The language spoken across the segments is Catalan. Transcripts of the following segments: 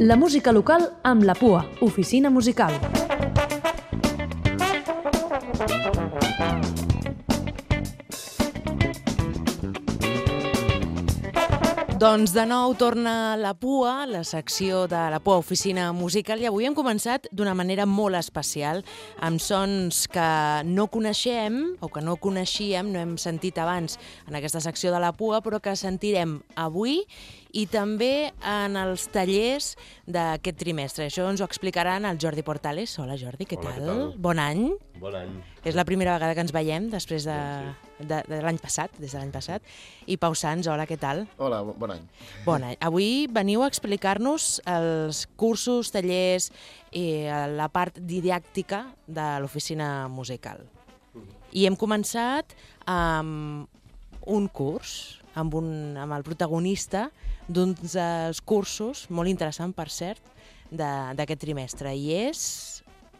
La música local amb la PUA, Oficina Musical. Doncs de nou torna la PUA, la secció de la PUA Oficina Musical, i avui hem començat d'una manera molt especial, amb sons que no coneixem o que no coneixíem, no hem sentit abans en aquesta secció de la PUA, però que sentirem avui i també en els tallers d'aquest trimestre. Això ens ho explicaran el Jordi Portales. Hola Jordi, què tal? Què tal? Bon any. Bon any. És la primera vegada que ens veiem després de l'any passat, des de l'any passat. I Pau Sans, hola, què tal? Hola, bon any. Bon any. Avui veniu a explicar-nos els cursos, tallers i la part didàctica de l'oficina musical. I hem començat amb un curs, amb el protagonista d'un dels cursos, molt interessant, per cert, d'aquest trimestre. I és...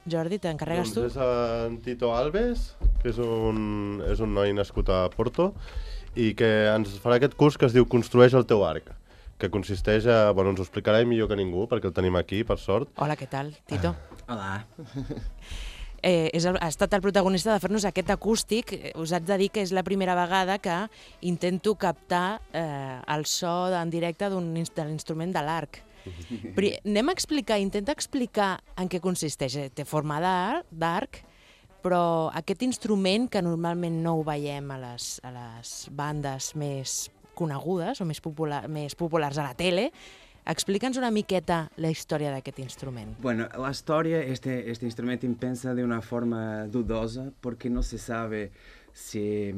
Jordi, t'encarregues tu? Doncs és en Tito Alves, que és un noi nascut a Porto i que ens farà aquest curs que es diu Construeix el teu arc, que consisteix a... Bueno, ens ho explicarà millor que ningú, perquè el tenim aquí, per sort. Hola, què tal, Tito? Hola. Ha estat el protagonista de fer-nos aquest acústic. Us haig de dir que és la primera vegada que intento captar el so en directe de l'instrument de l'arc. Però anem a intenta explicar en què consisteix. Té forma d'arc, però aquest instrument que normalment no ho veiem a les bandes més conegudes o més populars a la tele, explica'ns una miqueta la història d'aquest instrument. Bueno, la historia, este instrumento empieza de una forma dudosa porque no se sabe si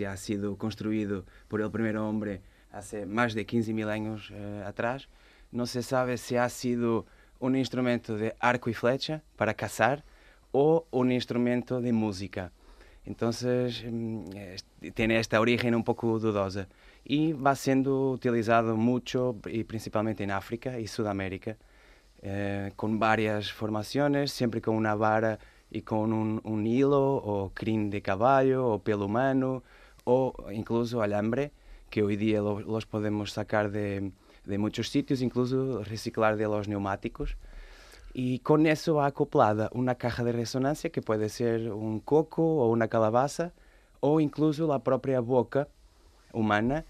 ha sido construido por el primer hombre hace más de 15.000 años atrás. No se sabe si ha sido un instrumento de arco y flecha para cazar o un instrumento de música. Entonces, tiene esta origen un poco dudosa y va siendo utilizado mucho y principalmente en África y Sudamérica, con varias formaciones, siempre con una vara y con un hilo o crin de caballo o pelo humano o incluso alambre, que hoy día los podemos sacar de muchos sitios, incluso reciclar de los neumáticos. Y con eso va acoplada una caja de resonancia que puede ser un coco o una calabaza o incluso la propia boca humana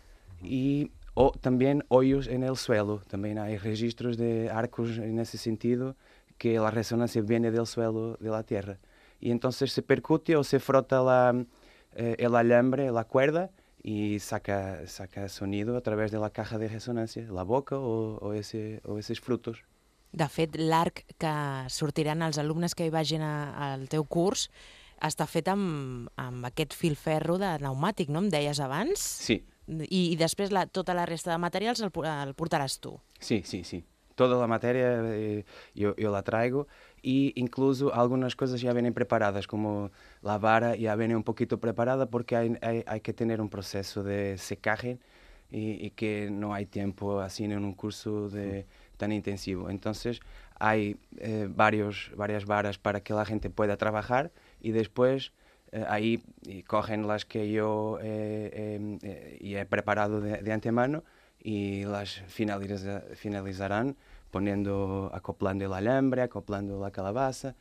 o también hoyos en el suelo. También hay registros de arcos en ese sentido que la resonancia viene del suelo de la tierra. Y entonces se percute o se frota el alambre, la cuerda, y saca sonido a través de la caja de resonancia, la boca o esos frutos. De fet, l'arc que sortiran els alumnes que hi vagin al teu curs està fet amb aquest filferro de pneumàtic, no em deies abans? Sí. I després tota la resta de materials el portaràs tu? Sí. Toda la materia yo la traigo y incluso algunas cosas ya vienen preparadas, como la vara ya viene un poquito preparada porque hay que tener un proceso de secaje y que no hay tiempo así en un curso tan intensivo. Entonces hay varias varas para que la gente pueda trabajar y después ahí cogen las que yo he preparado de antemano y las finalizarán acoplando el alambre, acoplando la calabaza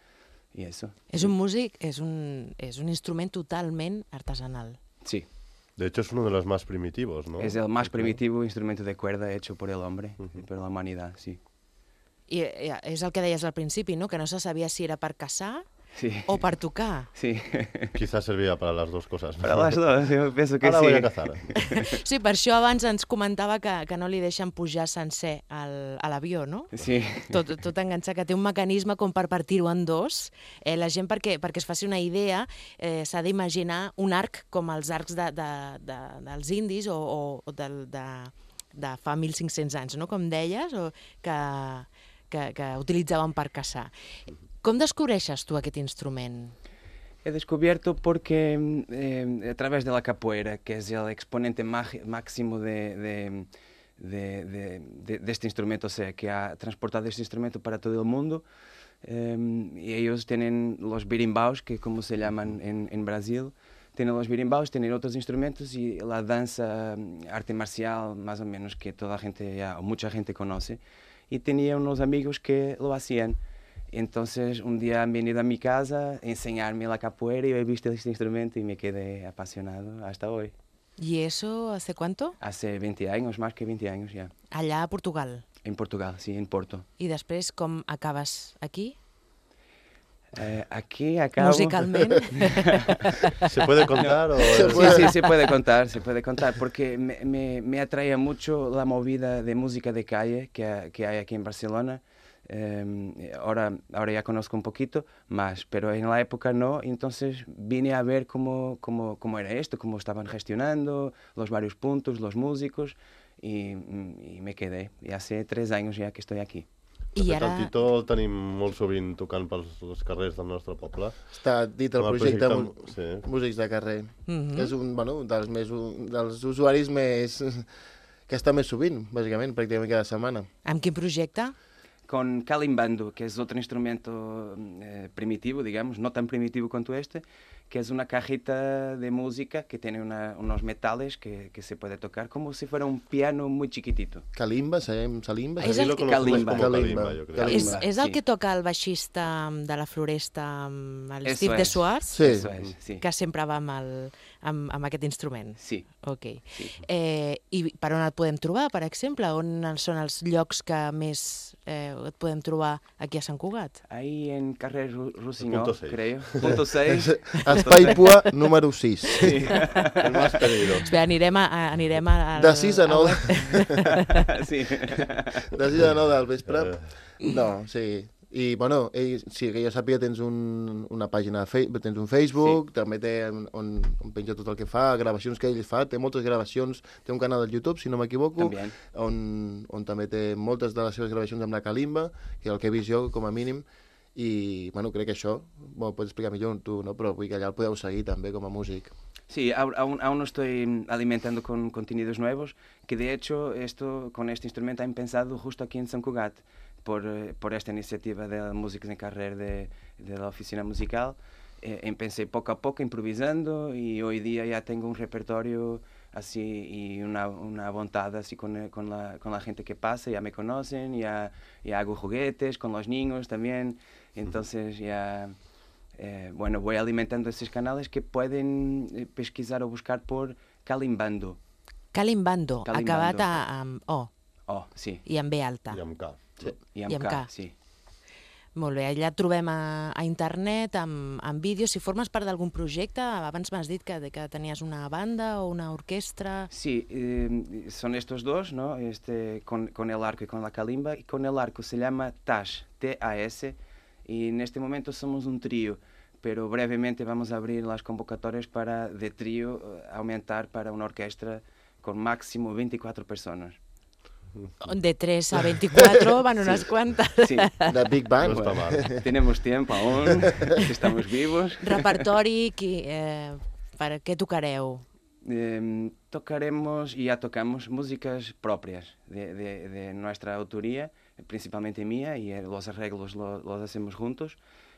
y eso. És un músic, és un instrument totalment artesanal. Sí. De hecho, es uno de los más primitivos, ¿no? Es el más primitivo instrumento de cuerda hecho por el hombre, por la humanidad, sí. I és el que deies al principi, no? Que no se sabia si era per caçar o per tocar. Sí. Quizás servía para las dos cosas. Para las dos, yo pienso que Ahora sí. voy a cazar. Sí, per això abans ens comentava que no li deixen pujar sencer a l'avió, no? Sí. Tot enganxat, que té un mecanisme com per partir-ho en dos. La gent, perquè es faci una idea, s'ha d'imaginar un arc com els arcs dels indis o de fa 1.500 anys, no? Com deies, que utilitzaven per caçar. Com descobreixes tu aquest instrument? He descubierto porque a través de la capoeira, que es el exponente máximo de este instrumento, o sea, que ha transportado este instrumento para todo el mundo, y ellos tienen los birimbaos, que como se llaman en Brasil, tiene los birimbaos, tienen otros instrumentos y la danza, arte marcial, más o menos, que toda la gente ya, o mucha gente conoce. Y tenía unos amigos que lo hacían. Entonces un día han venido a mi casa a enseñarme la capoeira y he visto este instrumento y me quedé apasionado hasta hoy. ¿Y eso hace cuánto? Hace 20 años, más que 20 años ya. Allà a Portugal. En Portugal, sí, en Porto. I després com acabes aquí? Aquí acabo... Musicalment? ¿Se puede contar? O... Sí, se puede contar, porque me atrae mucho la movida de música de calle que hay aquí en Barcelona. Ahora ya conozco un poquito más, pero en la época no, entonces vine a ver cómo era esto, cómo estaban gestionando los varios puntos, los músicos, y me quedé. Y hace 3 años ya que estoy aquí. I ara... El Tito el tenim molt sovint tocant pels carrers del nostre poble. Està dit el projecte Músics de Carrer. És un dels usuaris que està més sovint, bàsicament, pràcticament cada setmana. Amb quin projecte? Con calimbando, que es otro instrumento primitivo, digamos, no tan primitivo como este, que es una cajita de música que tiene unos metales que se puede tocar como si fuera un piano muy chiquitito. Calimba, salimba? És el que... Calimba, és el que toca el baixista de la Floresta, el Steve de Suars? Sí. Que sempre va amb aquest instrument? Sí. Ok. Sí. I per on el podem trobar, per exemple? On són els llocs que més et podem trobar aquí a Sant Cugat? Ahí en carrer Rossinyol, Punto 6. creo. Punto 6. Espai Pua número 6. Sí. El más pedido. Espera, anirem al... De 6 a 9. Sí. De 6 a 9 del vespre. No, sí. I, bueno, sí, que jo sàpiga, tens una pàgina, tens un Facebook, també té on penja tot el que fa, gravacions que ell fa, té moltes gravacions, té un canal de YouTube, si no m'equivoco, on també té moltes de les seves gravacions amb la calimba, que és el que he vist jo, com a mínim, i, bueno, crec que això, bueno, pots explicar millor tu, no? Però vull que allà el podeu seguir també com a músic. Sí, aún no estoy alimentando con contenidos nuevos, que de hecho con este instrumento han pensado justo aquí en Sant Cugat, por esta iniciativa de Músicos en Carrer de la oficina musical. Empecé poco a poco improvisando y hoy día ya tengo un repertorio así y una voluntad así con la gente que pasa, ya me conocen, ya hago juguetes con los niños también, entonces ya... bueno, voy alimentando estos canales que pueden pesquisar o buscar por Calimbando. Calimbando, acabat amb O. O, sí. I amb B alta. I amb K. Sí. I amb K, sí. Molt bé, allà et trobem a internet, amb vídeos. Si formes part d'algun projecte, abans m'has dit que tenies una banda o una orquestra... Sí, son estos dos, ¿no? Con el arco y con la calimba. Y con el arco se llama TAS, T-A-S, y en este momento somos un trío, pero brevemente vamos a abrir las convocatorias para de trío aumentar para una orquesta con máximo 24 personas. De 3 a 24 van unas cuantas. Sí. De Big Bang. No està mal. Tenemos tiempo aún, estamos vivos. Repertori, per què tocareu? Tocaremos y ya tocamos músicas propias de nuestra autoría, principalmente mía, y los arreglos los hacemos juntos,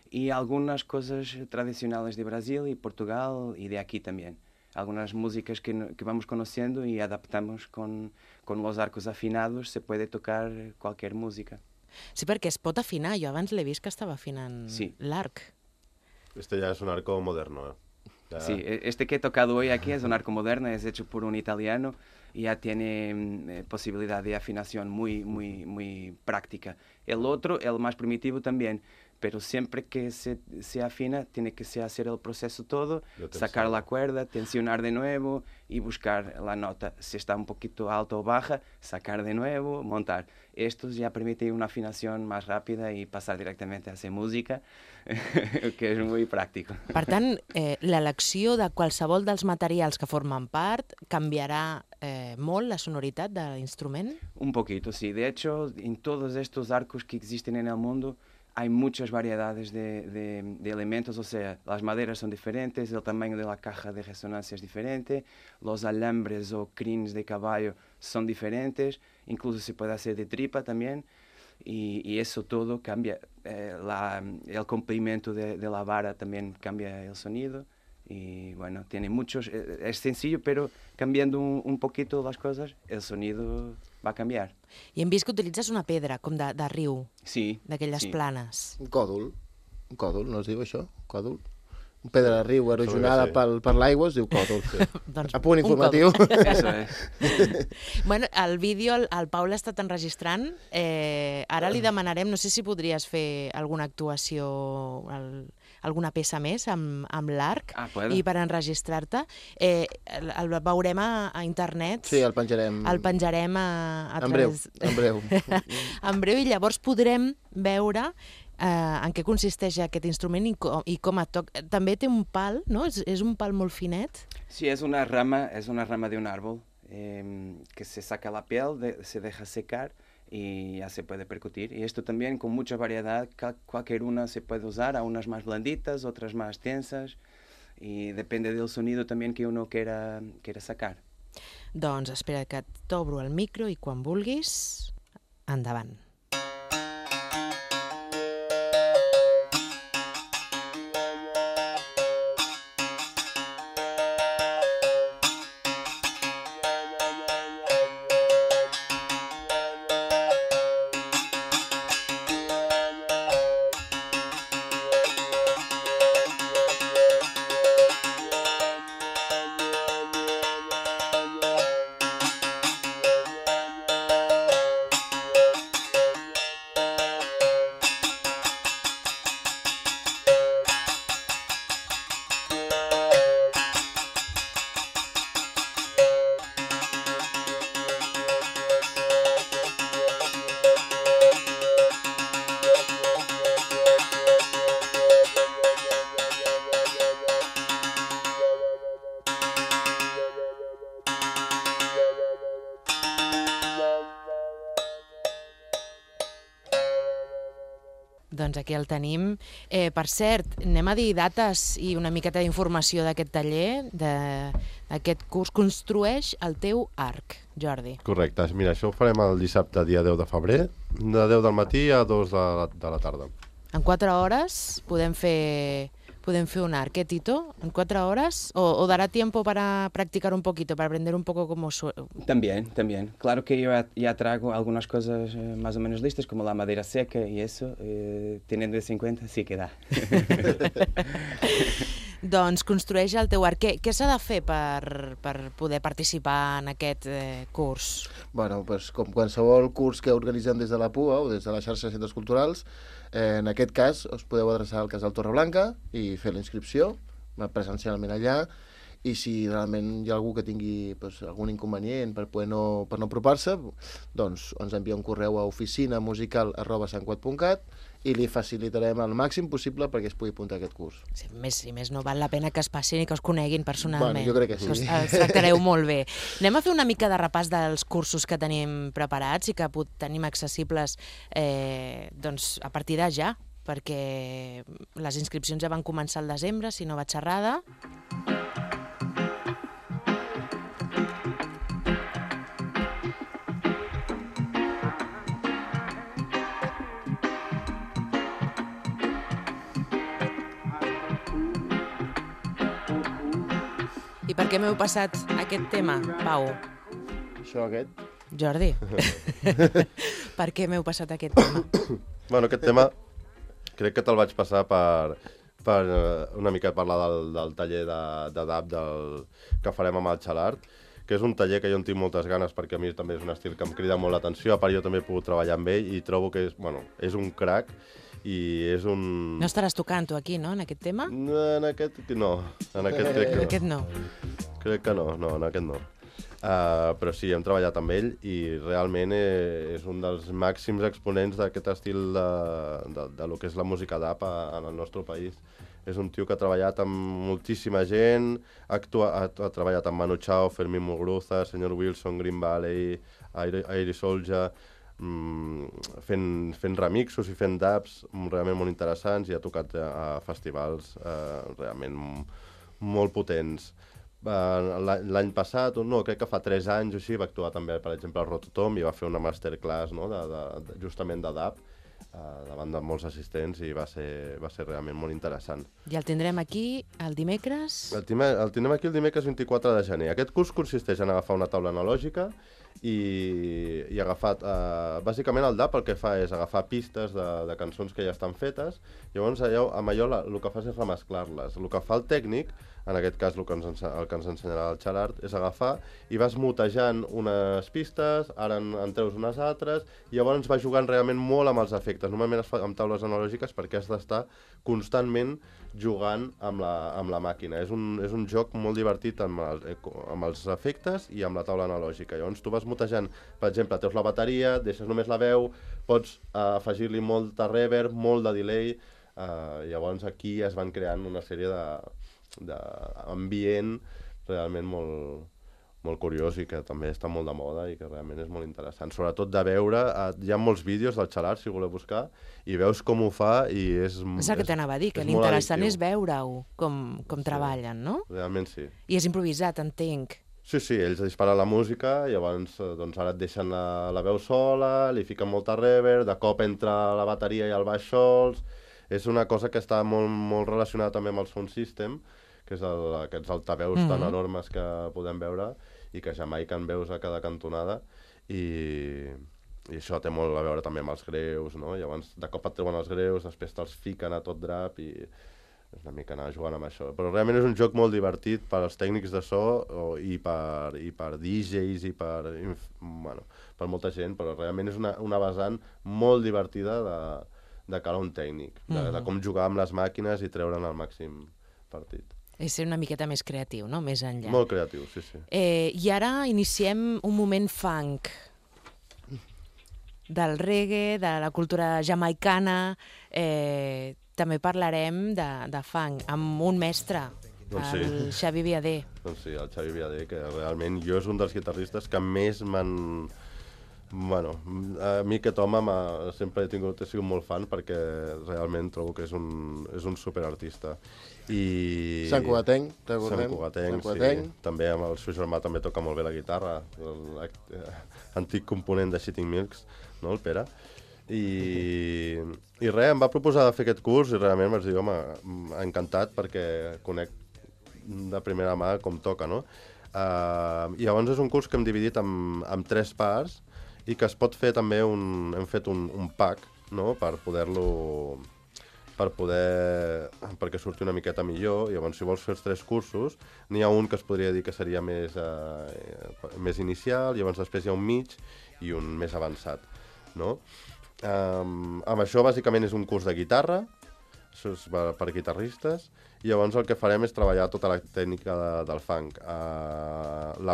y algunas cosas tradicionales de Brasil y Portugal y de aquí también. Algunas músicas que vamos conociendo y adaptamos con los arcos afinados, se puede tocar cualquier música. Sí, perquè es pot afinar. Jo abans l'he vist que estava afinant l'arc. Este ya es un arco moderno, Ya... Sí, este que he tocado hoy aquí es un arco moderno, es hecho por un italiano y ya tiene posibilidad de afinación muy práctica. El otro, el más primitivo también, pero siempre que se afina tiene que hacer el proceso todo, sacar la cuerda, tensionar de nuevo y buscar la nota. Si está un poquito alto o baja, sacar de nuevo, montar. Estos ya permiten una afinación más rápida y pasar directamente a hacer música, que és molt pràctic. Per tant, l'elecció de qualsevol dels materials que formen part canviará molt la sonoritat de l'instrument? Un poquito, sí. De hecho, en todos estos arcos que existen en el mundo, hay muchas variedades de elementos, o sea, las maderas son diferentes, el tamaño de la caja de resonancia es diferente, los alambres o crines de caballo son diferentes, incluso se puede hacer de tripa también, y eso todo cambia. El comprimento de la vara también cambia el sonido, Y bueno, tiene muchos, es sencillo, pero cambiando un poquito las cosas, el sonido va a cambiar. I hem vist que utilitzes una pedra, com de riu, Sí. d'aquelles sí. planes. Un còdol, no es diu això? Còdol? Un pedra de riu erosionada sí. per l'aigua es diu còdol. Doncs A punt un informatiu. Eso es. Bueno, el vídeo el Pau l'ha estat enregistrant. Ara li demanarem, no sé si podries fer alguna actuació, alguna peça més amb l'arc puedo. i per enregistrar-te. El veurem a internet. Sí, el penjarem. El penjarem a En breu, través... en breu. En breu, i llavors podrem veure en què consisteix aquest instrument i com et toca. També té un pal, no? És un pal molt finet. Sí, es una rama de un árbol que se saca la piel, se deja secar y ya se puede percutir. Y esto también con mucha variedad, cualquier una se puede usar, a unas más blanditas, otras más tensas, y depende del sonido también que uno quiera sacar. Doncs espera que t'obro el micro i quan vulguis, endavant. Doncs aquí el tenim. Per cert, anem a dir dates i una miqueta d'informació d'aquest taller, d'aquest curs. Construeix el teu arc, Jordi. Correcte. Mira, això ho farem el dissabte, dia 10 de febrer, de 10 del matí a 2 de la tarda. En 4 hores podem fer un arc, Tito? ¿En 4 horas? ¿O dará tiempo para practicar un poquito, para aprender un poco cómo suena? También. Claro que yo ya traigo algunas cosas más o menos listas, como la madera seca y eso, teniendo eso en cuenta, sí que da. Doncs construeix el teu arc. Què s'ha de fer per poder participar en aquest curs? Bueno, pues, com qualsevol curs que organitzem des de la PUA o des de la xarxa de centres culturals, en aquest cas us podeu adreçar al Casal Torreblanca i fer la inscripció presencialment allà, i si realment hi ha algú que tingui algun inconvenient per no apropar-se, doncs ens envia un correu a oficinamusical@santcugat.cat i li facilitarem el màxim possible perquè es pugui apuntar a aquest curs. Sí, més no val la pena que es passin i que us coneguin personalment. Bueno, jo crec que sí. Els tractareu molt bé. Anem a fer una mica de repàs dels cursos que tenim preparats i que tenim accessibles doncs, a partir de ja, perquè les inscripcions ja van començar al desembre, si no vaig errada. I per què m'heu passat aquest tema, Pau? Això, aquest? Jordi, per què m'heu passat aquest tema? Bueno, aquest tema crec que te'l vaig passar per una mica parlar del taller de DAB que farem amb el Xalart, que és un taller que jo en tinc moltes ganes perquè a mi també és un estil que em crida molt l'atenció, a part jo també he pogut treballar amb ell i trobo que és un crac i és un... No estaràs tocant tu aquí, no, en aquest tema? En aquest no, en aquest crec que no. En aquest no. Crec que no, en aquest no. Però sí, hem treballat amb ell i realment és un dels màxims exponents d'aquest estil de lo que és la música DAB en el nostre país. És un tio que ha treballat amb moltíssima gent, ha treballat amb Manu Chao, Fermín Muguruza, Sr. Wilson, Green Valley, Airy Soldier, fent remixos i fent dubs realment molt interessants i ha tocat a festivals realment molt potents. L'any passat, no, crec que fa 3 anys o així, va actuar també, per exemple, al Rototom i va fer una masterclass justament de dub davant de molts assistents i va ser realment molt interessant. I el tindrem aquí el dimecres? El tindrem aquí el dimecres 24 de gener. Aquest curs consisteix en agafar una taula analògica i agafar... bàsicament el DAP el que fa és agafar pistes de cançons que ja estan fetes, llavors amb allò el que fas és remesclar-les. El que fa el tècnic, en aquest cas el que ens ensenyarà el Gerard, és agafar i vas mutejant unes pistes, ara en treus unes altres, i llavors va jugant realment molt amb els efectes. Normalment es fa amb taules analògiques perquè has d'estar constantment jugant amb la màquina. És un joc molt divertit amb els efectes i amb la taula analògica. Llavors tu vas mutejant, per exemple, treus la bateria, deixes només la veu, pots afegir-li molt de reverb, molt de delay, llavors aquí es van creant una sèrie d'ambient realment molt curiós i que també està molt de moda i que realment és molt interessant. Sobretot de veure, hi ha molts vídeos del Gerard, si voleu buscar, i veus com ho fa i és el que t'anava a dir, que l'interessant és veure-ho, com treballen, no? Realment sí. I és improvisat, entenc. Sí, ells disparen la música, llavors ara et deixen la veu sola, li fiquen molta reverb, de cop entra la bateria i el baix sols. És una cosa que està molt relacionada també amb el sound system, que és aquests altaveus tan enormes que podem veure i que jamaiquen veus a cada cantonada, i això té molt a veure també amb els greus, no? Llavors de cop et treuen els greus, després te'ls fiquen a tot drap i és una mica anar jugant amb això. Però realment és un joc molt divertit per als tècnics de so i per DJs i per molta gent, però realment és una vessant molt divertida de cara a un tècnic, de com jugar amb les màquines i treure'n el màxim partit. És ser una miqueta més creatiu, no? Més enllà. Molt creatiu, sí. I ara iniciem un moment funk del reggae, de la cultura jamaicana. També parlarem de funk amb un mestre, el Xavi Viadé. Doncs sí, el Xavi Viadé, que realment jo és un dels guitarristes que més m'han... Bueno, a mi aquest home sempre he sigut molt fan perquè realment trobo que és un superartista. Sant Cugatenc, recordem. Sant Cugatenc, sí. També amb el seu germà també toca molt bé la guitarra, l'antic component de Shitting Milks, no, el Pere. I res, em va proposar de fer aquest curs i realment vaig dir, home, encantat perquè conec de primera mà com toca, no? I llavors és un curs que hem dividit en 3 parts i que es pot fer també hem fet un pack, no?, perquè surti una miqueta millor. Llavors, si vols fer els 3 cursos, n'hi ha un que es podria dir que seria més inicial, llavors després hi ha un mig i un més avançat, no? Amb això, bàsicament, és un curs de guitarra, això és per guitarristes, i llavors el que farem és treballar tota la tècnica del funk. El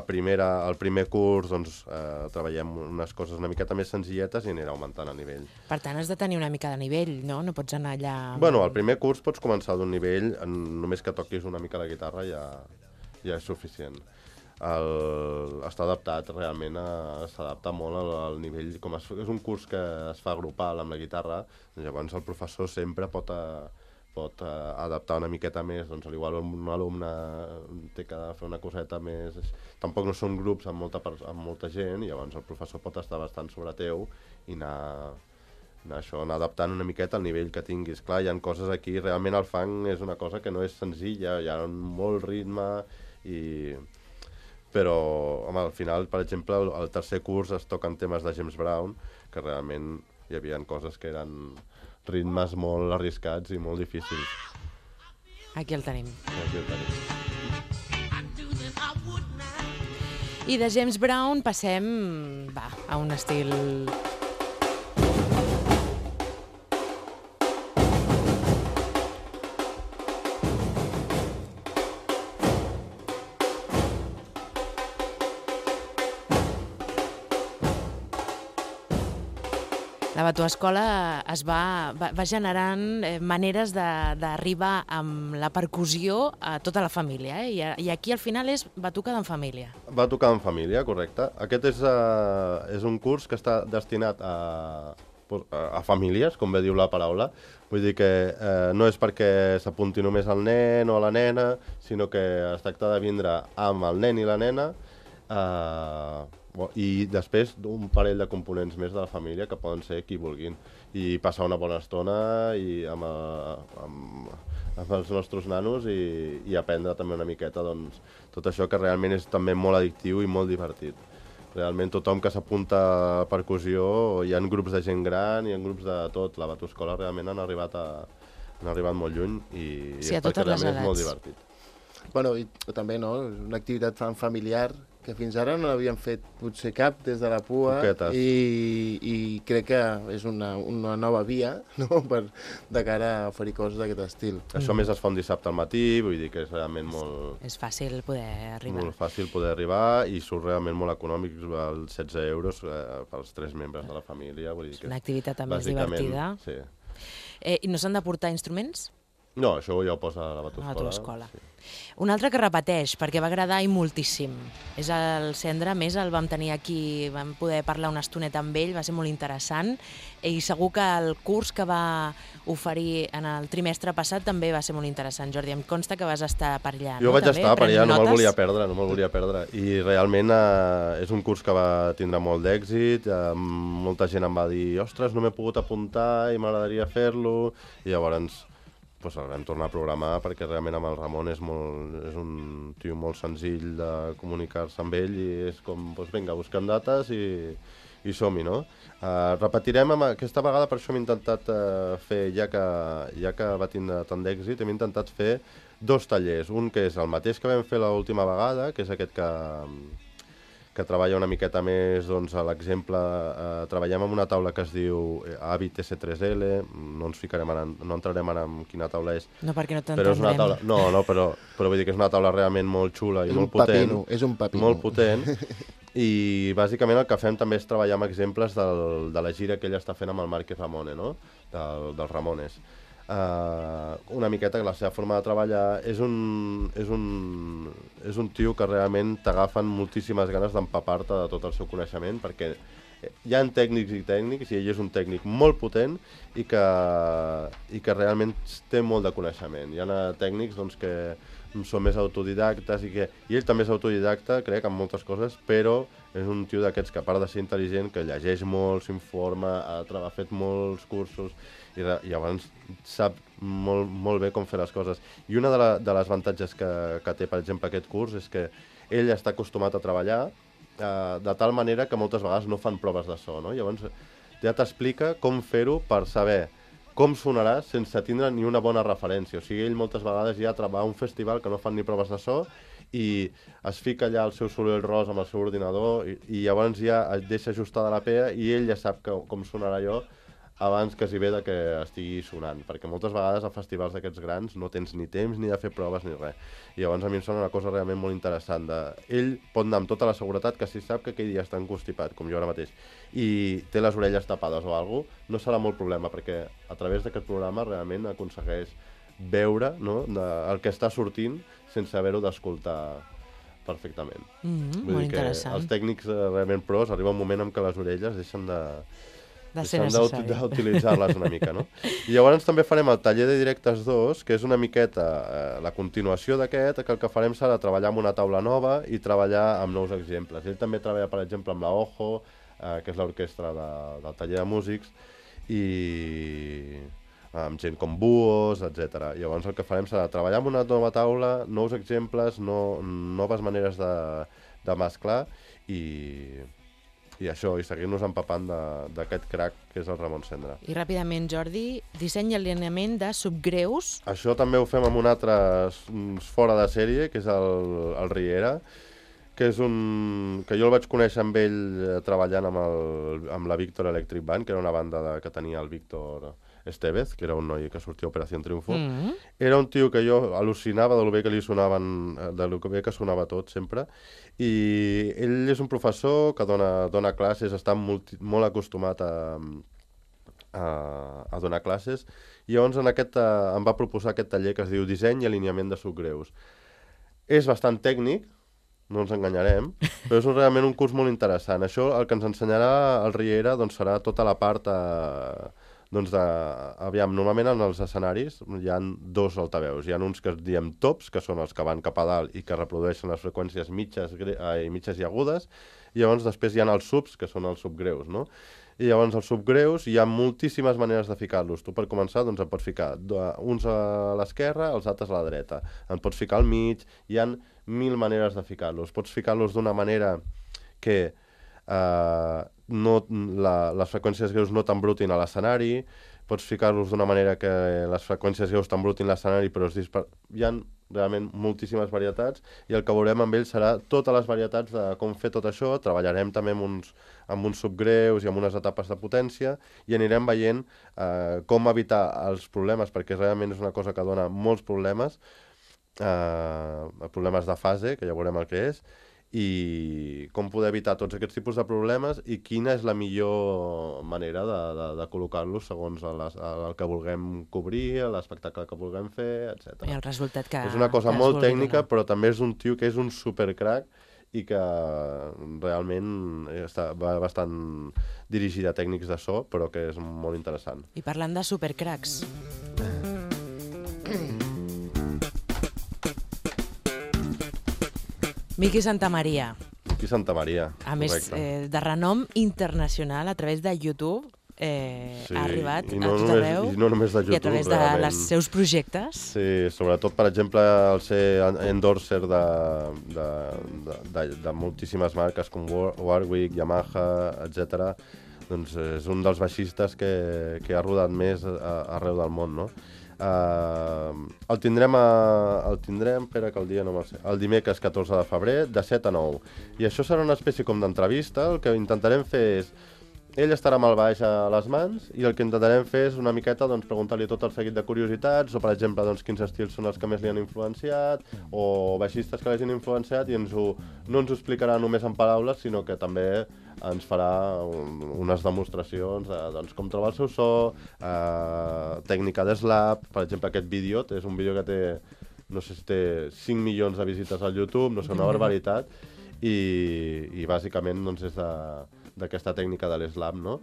primer curs doncs, treballem unes coses una miqueta més senzilletes i anirà augmentant el nivell. Per tant, has de tenir una mica de nivell, no? No pots anar allà... Bueno, al primer curs pots començar d'un nivell, només que toquis una mica la guitarra ja és suficient. Està adaptat, realment s'adapta molt al nivell. Com és un curs que es fa grupal amb la guitarra, llavors el professor sempre pot adaptar una miqueta més, doncs igual un alumne té que fer una coseta més... Tampoc no són grups amb molta gent, i llavors el professor pot estar bastant sobre teu i anar adaptant una miqueta al nivell que tinguis. Clar, hi ha coses aquí, realment el funk és una cosa que no és senzilla, hi ha molt ritme, però home, al final, per exemple, al tercer curs es toquen temes de James Brown, que realment hi havia coses que eren ritmes molt arriscats i molt difícils. Aquí el tenim. Aquí el tenim. I de James Brown passem a un estil... La Batuescola es va generant maneres d'arribar amb la percussió a tota la família, i aquí al final és batucada en família. Batucada en família, correcte. Aquest és un curs que està destinat a famílies, com bé diu la paraula. Vull dir que no és perquè s'apunti només el nen o la nena, sinó que es tracta de vindre amb el nen i la nena, I després un parell de components més de la família que poden ser qui vulguin. I passar una bona estona amb els nostres nanos i aprendre també una miqueta doncs, tot això que realment és també molt addictiu i molt divertit. Realment tothom que s'apunta a percussió, hi ha grups de gent gran, hi ha grups de tot. La Batoscola realment han arribat molt lluny i Sí, a és perquè totes les realment és molt edats. divertit. Bueno, i també, no?, una activitat familiar que fins ara no l'havíem fet potser cap des de la PUA i crec que és una nova via, no?, de cara a oferir coses d'aquest estil. Això més es fa un dissabte al matí, vull dir que és realment molt... És fàcil poder arribar. Molt fàcil poder arribar i surt realment molt econòmic, els 16 euros pels 3 membres de la família. Vull dir que Una activitat també bàsicament, divertida. Sí. I no s'han de portar instruments? No, això ja ho posa a la A Batoscola. la teva escola. Sí. Un altre que repeteix, perquè va agradar i moltíssim, és el Cendra. A més, el vam tenir aquí, vam poder parlar una estoneta amb ell, va ser molt interessant, i segur que el curs que va oferir en el trimestre passat també va ser molt interessant. Jordi, em consta que vas estar per allà, Jo no? vaig També, estar per allà, prenent no me'l notes? volia perdre. I realment és un curs que va tindre molt d'èxit, molta gent em va dir ostres, no m'he pogut apuntar i m'agradaria fer-lo, i llavors doncs el vam tornar a programar perquè realment amb el Ramon és un tio molt senzill de comunicar-se amb ell i és com, doncs vinga, busquem dates i som-hi, no? Repetirem aquesta vegada, per això hem intentat fer, ja que va tindre tant d'èxit, hem intentat fer 2 tallers. Un que és el mateix que vam fer l'última vegada, que és aquest que treballa una miqueta més, doncs, a l'exemple, treballem amb una taula que es diu Habit S3L, no entrarem ara en quina taula és. No, perquè no Però és una taula, t'entendrem. però vull dir que és una taula realment molt xula i molt potent. És un pepino. Molt potent. I bàsicament el que fem també és treballar amb exemples de la gira que ell està fent amb el Marc Ramone, no? Dels Ramones. Una miqueta que la seva forma de treballar és un tio que realment t'agafen moltíssimes ganes d'empapar-te de tot el seu coneixement, perquè hi ha tècnics i tècnics, i ell és un tècnic molt potent i que realment té molt de coneixement. Hi ha tècnics doncs, que són més autodidactes i ell també és autodidacta, crec, en moltes coses, però és un tio d'aquests que, a part de ser intel·ligent, que llegeix molt, s'informa, ha fet molts cursos i llavors sap molt bé com fer les coses. I una de les avantatges que té, per exemple, aquest curs és que ell està acostumat a treballar de tal manera que moltes vegades no fan proves de so, no? Llavors ja t'explica com fer-ho per saber com sonarà sense tindre ni una bona referència. O sigui, ell moltes vegades ja va a un festival que no fan ni proves de so i es fica allà el seu soroll ros amb el seu ordinador i llavors ja es deixa ajustada la PEA i ell ja sap com sonarà allò abans que s'hi ve que estigui sonant, perquè moltes vegades a festivals d'aquests grans no tens ni temps ni de fer proves ni res. I llavors a mi em sembla una cosa realment molt interessant. Ell pot anar amb tota la seguretat que si sap que aquell dia està encostipat, com jo ara mateix, i té les orelles tapades o alguna cosa, no serà molt problema, perquè a través d'aquest programa realment aconsegueix veure, no, el que està sortint sense haver-ho d'escoltar perfectament. Molt interessant. Els tècnics realment pros arriba un moment en què les orelles deixen ser necessari. d'utilitzar-les una mica, no? I llavors també farem el taller de directes 2, que és una miqueta la continuació d'aquest, que el que farem serà treballar amb una taula nova i treballar amb nous exemples. Ell també treballa, per exemple, amb la Ojo, que és l'orquestra del taller de músics, i amb gent com Buos, etc. Llavors el que farem serà treballar amb una nova taula, nous exemples, noves maneres de mesclar i això, i seguir-nos empapant d'aquest crack que és el Ramon Cendra. I ràpidament, Jordi, disseny i alineament de subgreus. Això també ho fem amb un altre fora de sèrie, que és el Riera, que és que jo el vaig conèixer amb ell treballant amb la Víctor Electric Band, que era una banda que tenia el Víctor Estevez, que era un noi que sortia a Operació Triunfo. Era un tio que jo al·lucinava de lo bé que li sonaven, de lo bé que sonava tot sempre, i ell és un professor que dona classes, està molt acostumat a donar classes, i llavors em va proposar aquest taller que es diu Disseny i alineament de subgreus. És bastant tècnic, no ens enganyarem, però és realment un curs molt interessant. Això, el que ens ensenyarà el Riera, doncs, serà tota la part normalment en els escenaris hi ha 2 altaveus. Hi ha uns que diem tops, que són els que van cap a dalt i que reprodueixen les freqüències mitges i agudes. i llavors després hi ha els subs, que són els subgreus, no? I llavors els subgreus hi ha moltíssimes maneres de ficar-los. Tu per començar doncs en pots ficar uns a l'esquerra, els altres a la dreta. En pots ficar al mig, hi ha 1000 maneres de ficar-los. Pots ficar-los d'una manera que les freqüències greus no t'embrutin a l'escenari, pots ficar-los d'una manera que les freqüències greus t'embrutin l'escenari, però hi ha realment moltíssimes varietats, i el que veurem amb ells serà totes les varietats de com fer tot això. Treballarem també amb uns subgreus i amb unes etapes de potència, i anirem veient com evitar els problemes, perquè realment és una cosa que dona molts problemes, problemes de fase, que ja veurem el que és, i com poder evitar tots aquests tipus de problemes i quina és la millor manera de col·locar-los segons el que vulguem cobrir, l'espectacle que vulguem fer, etc. I el resultat que és una cosa molt tècnica, donar. però també és un tio que és un supercrac i que realment va bastant dirigit a tècnics de so, però que és molt interessant. I parlant de supercracs... Miqui Santamaria. Miqui Santamaria, A més, de renom internacional a través de YouTube, ha arribat a tot arreu. I no només de YouTube, i a través dels seus projectes. Sí, sobretot, per exemple, el ser endorser de moltíssimes marques com Warwick, Yamaha, etc. Doncs és un dels baixistes que ha rodat més arreu del món, no? El tindrem, espera que el dia no me'l sé, el dimecres 14 de febrer, de 7 a 9. I això serà una espècie com d'entrevista. El que intentarem fer és... Ell estarà amb el baix a les mans i el que intentarem fer és una miqueta preguntar-li tot el seguit de curiositats, o per exemple quins estils són els que més li han influenciat, o baixistes que l'hagin influenciat, i no ens ho explicarà només en paraules, sinó que també ens farà unes demostracions de com trobar el seu so, tècnica de slap. Per exemple, aquest vídeo és un vídeo que té, no sé si té 5 milions de visites al YouTube, no sé, una barbaritat, i bàsicament és d'aquesta tècnica de l'slap, no?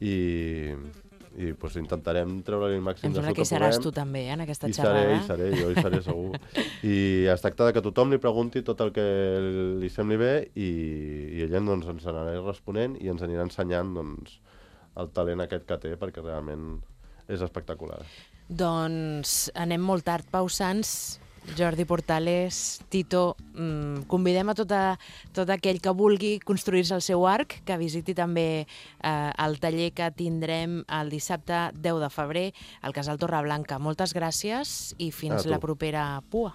I intentarem treure-li el màxim de so que puguem. Em sembla que seràs tu també, en aquesta xerrada. Jo hi seré segur. I es tracta que tothom li pregunti tot el que li sembli bé, i ell ens anirà responent i ens anirà ensenyant el talent aquest que té, perquè realment és espectacular. Doncs anem molt tard. Pau Sans, Jordi Portales, Tito, convidem a tot aquell que vulgui construir-se el seu arc, que visiti també el taller que tindrem el dissabte 10 de febrer al Casal Torreblanca. Moltes gràcies i fins la propera PUA.